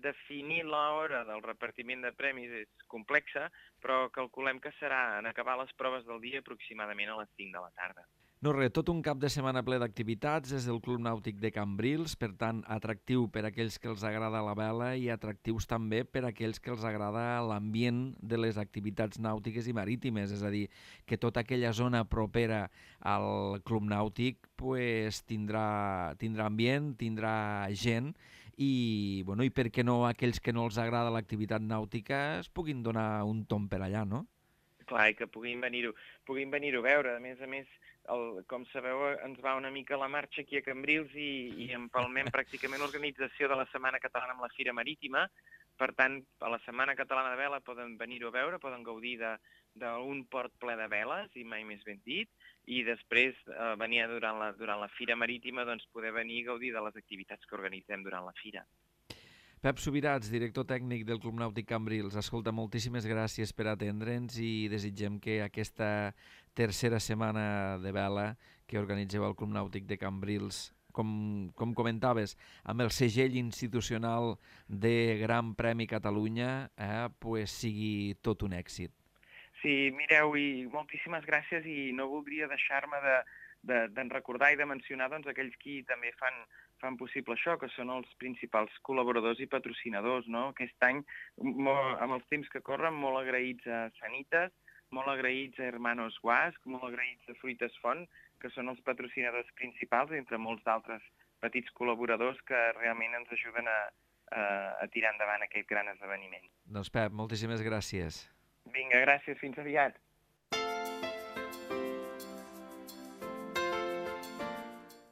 Speaker 7: definir l'hora del repartiment de premis és complexa, però calculem que serà en acabar les proves del dia aproximadament a les 5 de la tarda.
Speaker 2: No res, tot un cap de setmana ple d'activitats des del Club Nàutic de Cambrils, per tant, atractiu per a aquells que els agrada la vela i atractius també per a aquells que els agrada l'ambient de les activitats nàutiques i marítimes, és a dir, que tota aquella zona propera al Club Nàutic pues, tindrà ambient, tindrà gent i, bueno, i per què no aquells que no els agrada l'activitat nàutica es puguin donar un tomb per allà, no?
Speaker 7: Clar, i que puguin venir-ho a veure. A més, com sabeu, ens va una mica la marxa aquí a Cambrils i empalmem pràcticament l'organització de la Setmana Catalana amb la Fira Marítima. Per tant, a la Setmana Catalana de Vela poden venir-ho a veure, poden gaudir d'un port ple de veles, i mai més ben dit, i després venir durant la Fira Marítima, doncs poder venir a gaudir de les activitats que organitzem durant la Fira.
Speaker 2: Pep Subirats, director tècnic del Club Nàutic Cambrils. Escolta, moltíssimes gràcies per atendre'ns i desitgem que aquesta tercera setmana de vela que organitzeu al Club Nàutic de Cambrils, com comentaves, amb el segell institucional de Gran Premi Catalunya, pues sigui tot un èxit.
Speaker 7: Sí, mireu, i moltíssimes gràcies, i no voldria deixar-me de recordar i de mencionar doncs, aquells qui també fan possible això, que són els principals col·laboradors i patrocinadors, no? Aquest any, amb els temps que corren, molt agraïts a Sanitas, molt agraïts a Hermanos Guasc, molt agraïts a Fruites Font, que són els patrocinadors principals, entre molts d'altres petits col·laboradors que realment ens ajuden a tirar endavant aquest gran esdeveniment.
Speaker 2: Doncs Pep, moltíssimes gràcies.
Speaker 7: Vinga, gràcies, fins aviat.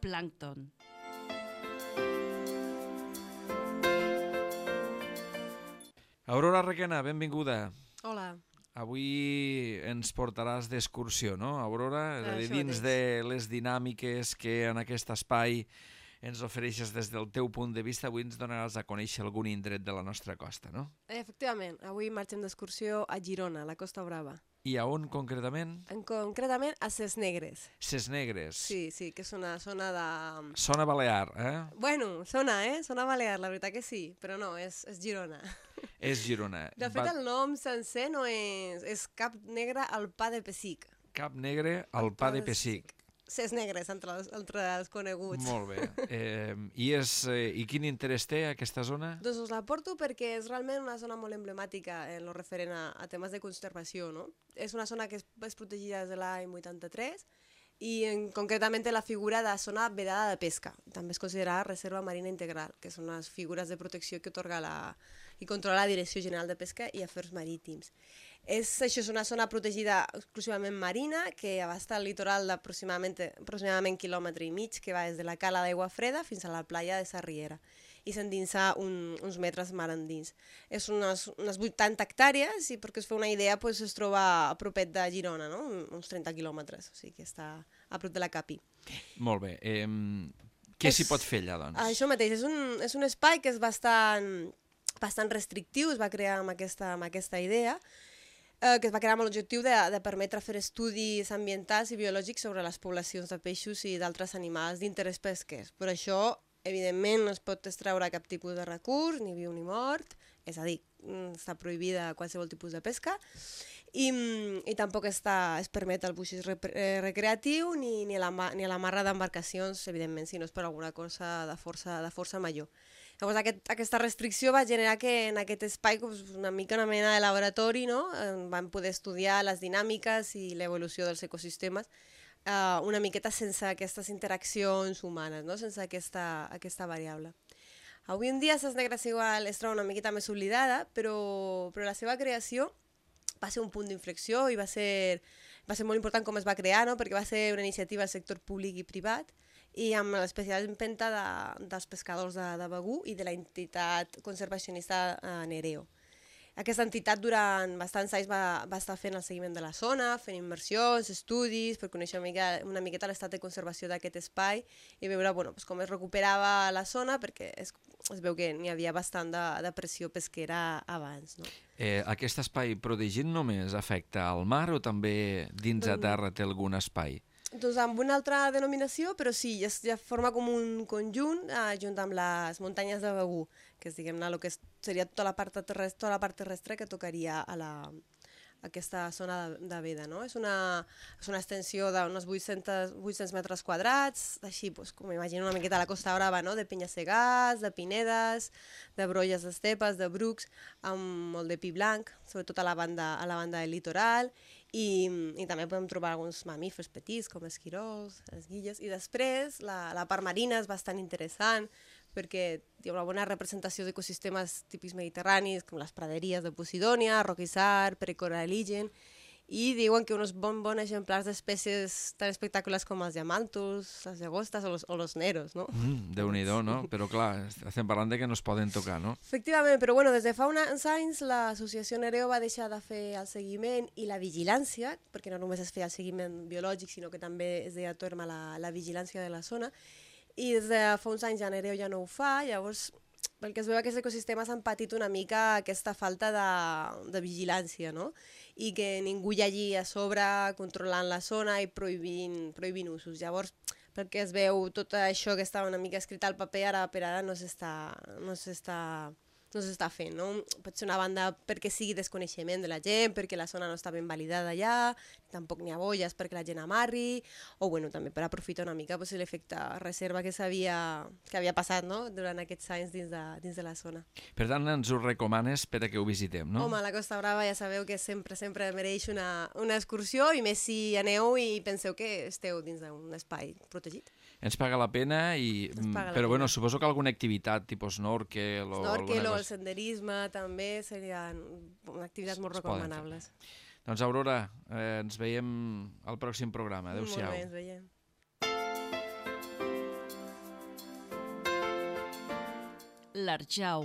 Speaker 1: Plàncton.
Speaker 2: Aurora Requena, benvinguda.
Speaker 8: Hola.
Speaker 2: Avui ens portaràs d'excursió, no, Aurora? És a dir, dins de les dinàmiques que en aquest espai ens ofereixes des del teu punt de vista, avui ens donaràs a conèixer algun indret de la nostra costa, no?
Speaker 8: Efectivament, avui marxem d'excursió a Girona, a la Costa Brava.
Speaker 2: I a on, concretament?
Speaker 8: Concretament a Ses Negres.
Speaker 2: Ses Negres.
Speaker 8: Sí, que és una zona de...
Speaker 2: Zona balear, eh?
Speaker 8: Bueno, zona balear, la veritat que sí, però no, és Girona.
Speaker 2: És Girona.
Speaker 8: De fet, el nom sencer no és Cap Negre al Pa de Pessic.
Speaker 2: Cap Negre al Pa de Pessic.
Speaker 8: Ses Negres, entre els coneguts.
Speaker 2: Molt bé. I quin interès té aquesta zona?
Speaker 8: Doncs us la porto perquè és realment una zona molt emblemàtica en lo referent a temes de conservació, no? És una zona que és protegida des de l'any 83 i concretament la figura de zona vedada de pesca. També és considerada reserva marina integral, que són les figures de protecció que otorga i controla la Direcció General de Pesca i Afers Marítims. Això és una zona protegida exclusivament marina que abasta el litoral d'aproximadament quilòmetre i mig, que va des de la cala d'Aigua Freda fins a la playa de Sarriera i s'endinsa uns metres mar endins. És unes 80 hectàrees i perquè us feu una idea es troba a propet de Girona, no? Uns 30 quilòmetres, o sigui que està a prop de la Capi.
Speaker 2: Molt bé. Què s'hi pot fer allà, doncs?
Speaker 8: Això mateix, és un espai que és bastant restrictiu, es va crear amb aquesta idea, que es va crear amb l'objectiu de permetre fer estudis ambientals i biològics sobre les poblacions de peixos i d'altres animals d'interès pesquers. Per això, evidentment, no es pot extreure cap tipus de recurs, ni viu ni mort, és a dir, està prohibida qualsevol tipus de pesca, i tampoc es permet el buixís recreatiu ni l'amarra d'embarcacions, evidentment, si no és per alguna cosa de força major. Llavors, aquesta restricció va generar que en aquest espai una mena de laboratori, no? Vam poder estudiar les dinàmiques i l'evolució dels ecosistemes una miqueta sense aquestes interaccions humanes, no? Sense aquesta variable. Avui en dia Ses Negres igual es troba una miqueta més oblidada, però la seva creació va ser un punt d'inflexió i va ser molt important com es va crear, no? Perquè va ser una iniciativa del sector públic i privat i amb l'especial empenta dels pescadors de Begur i de l'entitat conservacionista Nereo. Aquesta entitat durant bastants anys va estar fent el seguiment de la zona, fent immersions, estudis, per conèixer una miqueta l'estat de conservació d'aquest espai i veure com es recuperava la zona, perquè es veu que n'hi havia bastant de pressió pesquera abans. No?
Speaker 2: Aquest espai protegit només afecta al mar o també dins a terra té algun espai?
Speaker 8: Doncs amb una altra denominació, però sí, ja forma com un conjunt junt amb les muntanyes de Begur, que és, diguem-ne, el que seria tota la part terrestre que tocaria a aquesta zona de veda, no? És una extensió d'uns 800 metres quadrats, així, com imagino una miqueta a la Costa Brava, no? De penya-segats, de pinedes, de brolles d'estepes, de brucs, amb molt de pi blanc, sobretot a la banda del litoral, i també podem trobar alguns mamífers petits, com esquirols, esguilles, i després la part marina és bastant interessant, perquè hi ha una bona representació d'ecosistemes típics mediterranis, com les praderies de Posidònia, roquissar, pericoralligen, i diuen que uns bons exemplars d'espècies tan espectaculars com els diamàntols, les llagostes o los neros, no?
Speaker 2: Déu-n'hi-do, no? Però clar, estem parlant de que no es poden tocar, no?
Speaker 8: Efectivament, però bueno, des de fa uns anys l'associació Nereo va deixar de fer el seguiment i la vigilància, perquè no només es feia el seguiment biològic, sinó que també es deia a terme la vigilància de la zona, i des de fa uns anys ja Nereo ja no ho fa, llavors pel que es veu aquests ecosistemes han patit una mica aquesta falta de vigilància, no? I que ningú hi hagi a sobre controlant la zona i prohibint usos. Llavors, pel que es veu, tot això que estava una mica escrit al paper, ara per ara no s'està fent, no? Pot ser una banda perquè sigui desconeixement de la gent, perquè la zona no està ben validada allà, tampoc n'hi ha bolles perquè la gent amarri, o bueno, també per aprofitar una mica l'efecte reserva que havia passat, no? Durant aquests anys dins de la zona.
Speaker 2: Per tant, ens ho recomanes per a que ho visitem, no?
Speaker 8: Home, la Costa Brava ja sabeu que sempre mereix una excursió, i més si aneu i penseu que esteu dins d'un espai protegit.
Speaker 2: Ens paga la pena, però bueno, suposo que alguna activitat tipus snorkel o
Speaker 8: alguna cosa... el senderisme també serien activitats molt recomanables.
Speaker 2: Doncs Aurora, ens veiem al pròxim programa. Adéu-siau.
Speaker 8: Molt bé, ens veiem.
Speaker 1: L'Arjau.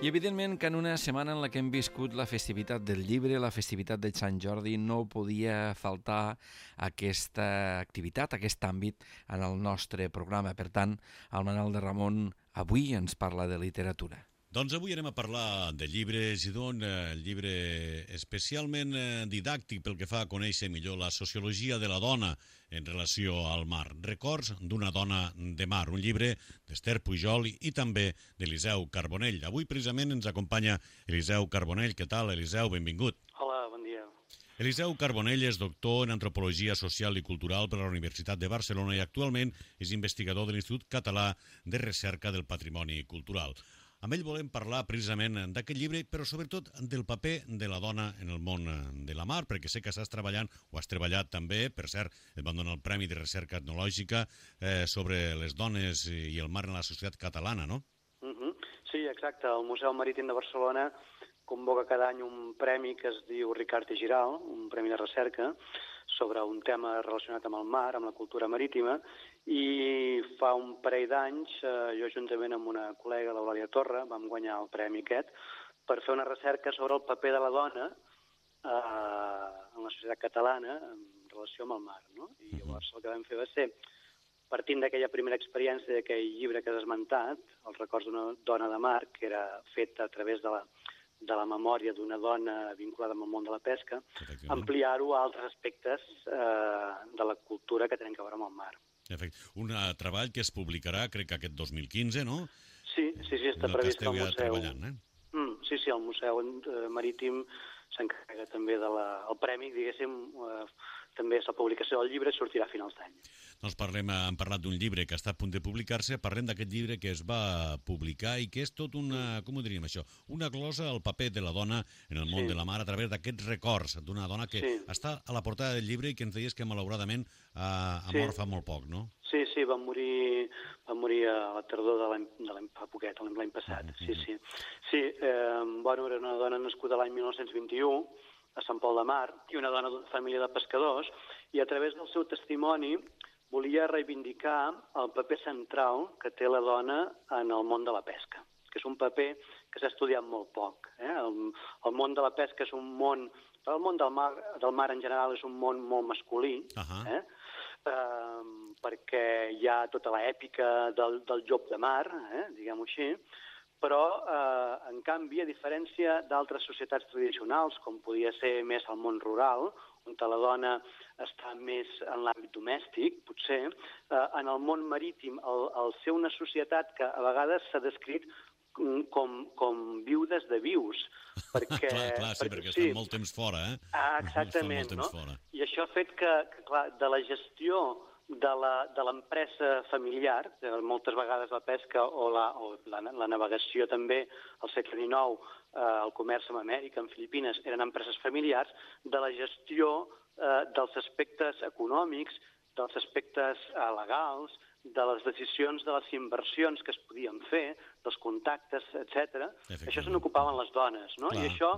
Speaker 2: I evidentment que en una setmana en la que hem viscut la festivitat del llibre, la festivitat de Sant Jordi, no podia faltar aquesta activitat, aquest àmbit en el nostre programa. Per tant, el Manel de Ramon avui ens parla de literatura.
Speaker 9: Doncs avui anem a parlar de llibres i d'un llibre especialment didàctic pel que fa a conèixer millor la sociologia de la dona en relació al mar. Records d'una dona de mar, un llibre d'Esther Pujol i també d'Eliseu Carbonell. Avui precisament ens acompanya Eliseu Carbonell. Què tal, Eliseu? Benvingut.
Speaker 10: Hola, bon dia.
Speaker 9: Eliseu Carbonell és doctor en Antropologia Social i Cultural per la Universitat de Barcelona i actualment és investigador de l'Institut Català de Recerca del Patrimoni Cultural. Amb ell volem parlar precisament d'aquest llibre, però sobretot del paper de la dona en el món de la mar, perquè sé que estàs treballant, o has treballat també, per cert, et van donar el Premi de Recerca Etnològica sobre les dones i el mar en la societat catalana, no?
Speaker 10: Sí, exacte. El Museu Marítim de Barcelona convoca cada any un premi que es diu Ricard i Giral, un premi de recerca, sobre un tema relacionat amb el mar, amb la cultura marítima, i fa un parell d'anys, jo juntament amb una col·lega, l'Eulàlia Torra, vam guanyar el premi aquest per fer una recerca sobre el paper de la dona en la societat catalana en relació amb el mar, no? I llavors el que vam fer va ser, partint d'aquella primera experiència d'aquell llibre que has esmentat, Els records d'una dona de mar, que era fet a través de la memòria d'una dona vinculada amb el món de la pesca, ampliar-ho a altres aspectes de la cultura que tenen a veure amb el mar.
Speaker 9: Un treball que es publicarà, crec que aquest 2015, no?
Speaker 10: Sí, està previst al museu. Sí, el Museu Marítim s'encarrega també del premi, diguéssim, també és la publicació del llibre, sortirà a finals d'any.
Speaker 9: Doncs hem parlat d'un llibre que està a punt de publicar-se, parlem d'aquest llibre que es va publicar i que és tot una, com ho diríem això, una glosa al paper de la dona en el món de la mar a través d'aquests records d'una dona que està a la portada del llibre i que ens deies que malauradament ha mort fa molt poc, no?
Speaker 10: Sí, va morir a la tardor de l'any passat. Era una dona nascuda l'any 1921 a Sant Pol de Mar i una dona d'una família de pescadors, i a través del seu testimoni volia reivindicar el paper central que té la dona en el món de la pesca, que és un paper que s'ha estudiat molt poc. El món de la pesca és un món... El món del mar en general és un món molt masculí, perquè hi ha tota l'èpica del llop de mar, diguem-ho així, però, en canvi, a diferència d'altres societats tradicionals, com podia ser més el món rural, on la dona està més en l'àmbit domèstic, potser, en el món marítim, al ser una societat que a vegades s'ha descrit com viudes de vius. Perquè,
Speaker 9: clar, sí, perquè estan molt temps fora, eh?
Speaker 10: Exactament, no? I això ha fet que, clar, de la gestió de l'empresa familiar, moltes vegades la pesca o la navegació també al segle XIX, el comerç amb Amèrica, amb Filipines, eren empreses familiars, de la gestió dels aspectes econòmics, dels aspectes legals, de les decisions de les inversions que es podien fer, dels contactes, etc. Això se n'ocupaven les dones, no? I això,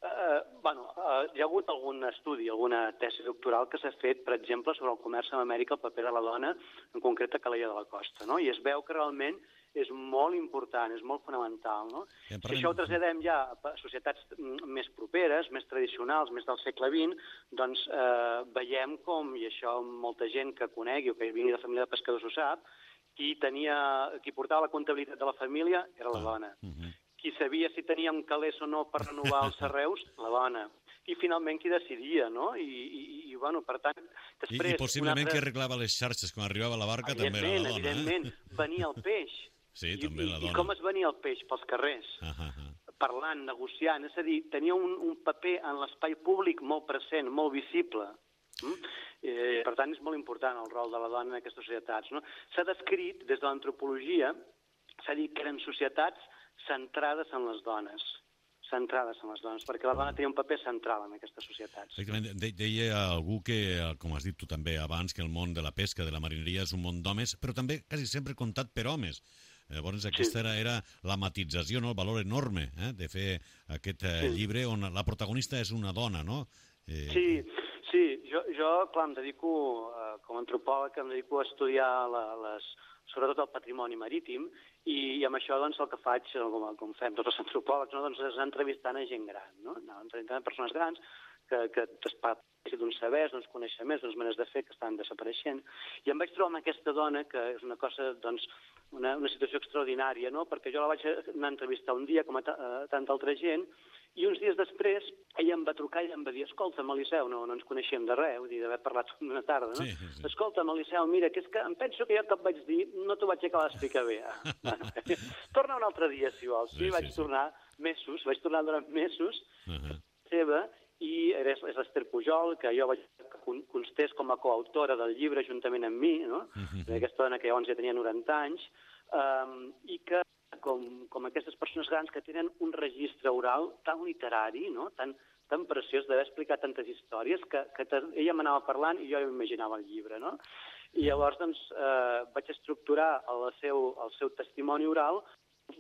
Speaker 10: hi ha hagut algun estudi, alguna tesi doctoral que s'ha fet, per exemple, sobre el comerç amb Amèrica, el paper de la dona, en concret a Calella de la Costa, no? I es veu que realment és molt important, és molt fonamental, no? Si això ho traslladem ja a societats més properes, més tradicionals, més del segle XX, doncs veiem com, i això molta gent que conegui o que vingui de família de pescadors ho sap, qui portava la comptabilitat de la família era la dona. Qui sabia si teníem calés o no per renovar els arreus, la dona. I finalment qui decidia, no? I bueno, per tant, després...
Speaker 9: I possiblement qui arreglava les xarxes quan arribava la barca també era la dona,
Speaker 10: Evidentment, venia el peix.
Speaker 9: Sí, també la dona.
Speaker 10: I com es venia el peix? Pels carrers. Parlant, negociant, és a dir, tenia un paper en l'espai públic molt present, molt visible. Per tant, és molt important el rol de la dona en aquestes societats. S'ha descrit, des de l'antropologia, s'ha dit que eren societats centrades en les dones, perquè la dona tenia un paper central en aquestes societats.
Speaker 9: Deia algú que, com has dit tu també abans, que el món de la pesca, de la marineria, és un món d'homes, però també quasi sempre contat per homes. Llavors aquesta era la matització, el valor enorme de fer aquest llibre on la protagonista és una dona, no?
Speaker 10: Sí, jo, clar, em dedico, com a antropòleg, em dedico a estudiar sobretot el patrimoni marítim, i amb això doncs, el que faig, com fem tots els antropòlegs, doncs, és anar entrevistant a gent gran, entrevistant persones grans que parlessin d'uns sabers, d'uns coneixements, d'unes maneres de fer que estan desapareixent. I em vaig trobar amb aquesta dona, que és una cosa, doncs, una situació extraordinària, no? Perquè jo la vaig anar a entrevistar un dia, com a tanta altra gent, i uns dies després ella em va trucar i em va dir: escolta'm, Eliseu, no ens coneixíem de res, d'haver parlat una tarda, no? Sí. Escolta'm, Eliseu, mira, que és que em penso que jo que et vaig dir no t'ho vaig acabar d'explicar bé. Torna un altre dia, si vols. Sí, vaig tornar durant mesos, seva, i és l'Ester Pujol, que jo vaig que constés com a coautora del llibre juntament amb mi, no? Aquesta dona que llavors ja tenia 90 anys, i que com aquestes persones grans que tenen un registre oral tan literari, no? tan preciós d'haver explicat tantes històries, que ella m'anava parlant i jo imaginava el llibre, no? I llavors doncs, vaig estructurar el seu testimoni oral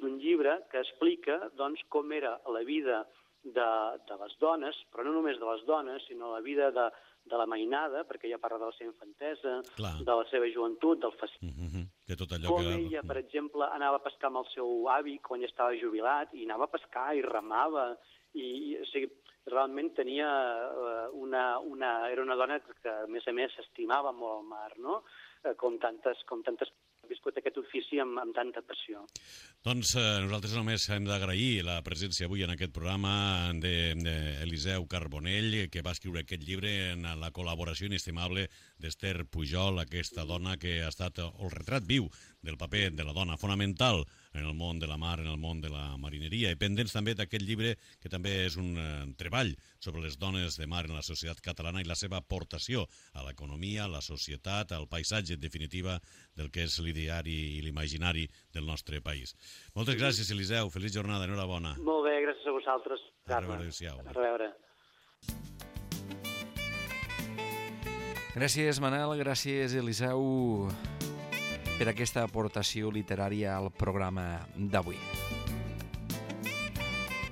Speaker 10: d'un llibre que explica doncs, com era la vida de les dones, però no només de les dones, sinó la vida de la mainada, perquè ella parla de la seva infantesa, de la seva joventut, del fascisme. Com ella, per exemple, anava a pescar amb el seu avi quan ja estava jubilat, i anava a pescar i remava, i o sigui, realment tenia era una dona que, a més, estimava molt el mar, no? Com tantes ha viscut aquest ofici amb tanta passió.
Speaker 9: Doncs nosaltres només hem d'agrair la presència avui en aquest programa d'Eliseu Carbonell, que va escriure aquest llibre en la col·laboració inestimable d'Ester Pujol, aquesta dona que ha estat el retrat viu del paper de la dona fonamental en el món de la mar, en el món de la marineria, i pendents també d'aquest llibre que també és un treball sobre les dones de mar en la societat catalana i la seva aportació a l'economia, a la societat, al paisatge, en definitiva, del que és l'ideari i l'imaginari del nostre país. Moltes gràcies, Eliseu. Feliç jornada. Enhorabona.
Speaker 10: Molt bé, gràcies a vosaltres.
Speaker 9: A reveure.
Speaker 10: A reveure.
Speaker 2: Gràcies, Manel. Gràcies, Eliseu, per aquesta aportació literària al programa d'avui.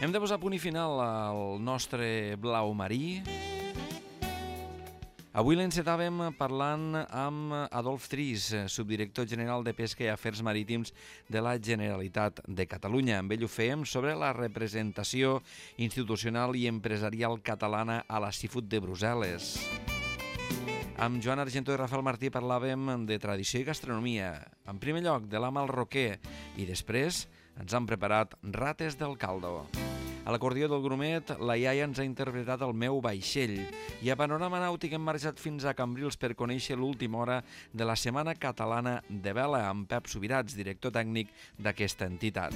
Speaker 2: Hem de posar punt i final al nostre blau marí. Avui l'encetàvem parlant amb Adolf Tris, subdirector general de Pesca i Afers Marítims de la Generalitat de Catalunya. Amb ell ho fèiem sobre la representació institucional i empresarial catalana a la Seafood de Brussel·les. Amb Joan Argentó i Rafael Martí parlàvem de tradició i gastronomia. En primer lloc, de l'ama al roquer, i després ens han preparat rates del caldo. A l'acordió del Grumet, la iaia ens ha interpretat El meu vaixell, i a Panorama Nàutic hem marxat fins a Cambrils per conèixer l'última hora de la Setmana Catalana de Vela amb Pep Subirats, director tècnic d'aquesta entitat.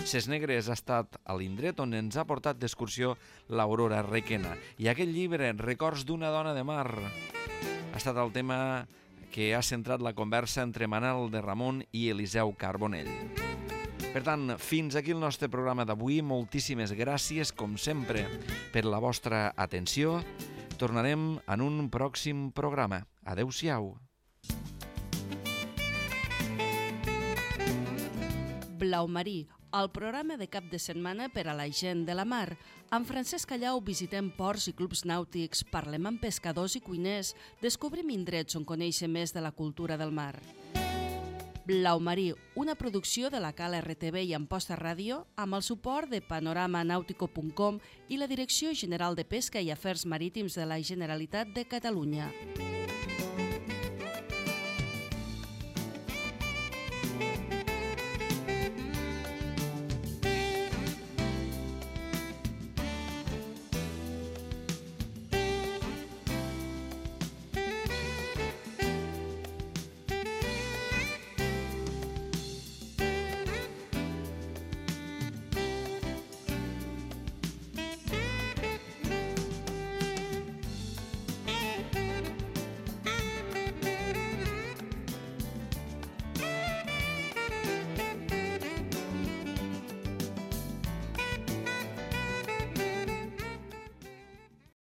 Speaker 2: Ses Negres ha estat a l'indret on ens ha portat d'excursió l'Aurora Requena. I aquest llibre, Records d'una dona de mar, ha estat el tema que ha centrat la conversa entre Manel de Ramon i Eliseu Carbonell. Per tant, fins aquí el nostre programa d'avui. Moltíssimes gràcies, com sempre, per la vostra atenció. Tornarem en un pròxim programa. Adéu-siau.
Speaker 1: Blau Marí, el programa de cap de setmana per a la gent de la mar. Amb Francesc Callau visitem ports i clubs nàutics, parlem amb pescadors i cuiners, descobrim indrets on conèixer més de la cultura del mar. Blau Marí, una producció de la Cala RTV i Amposta Ràdio amb el suport de panoramanautico.com i la Direcció General de Pesca i Afers Marítims de la Generalitat de Catalunya.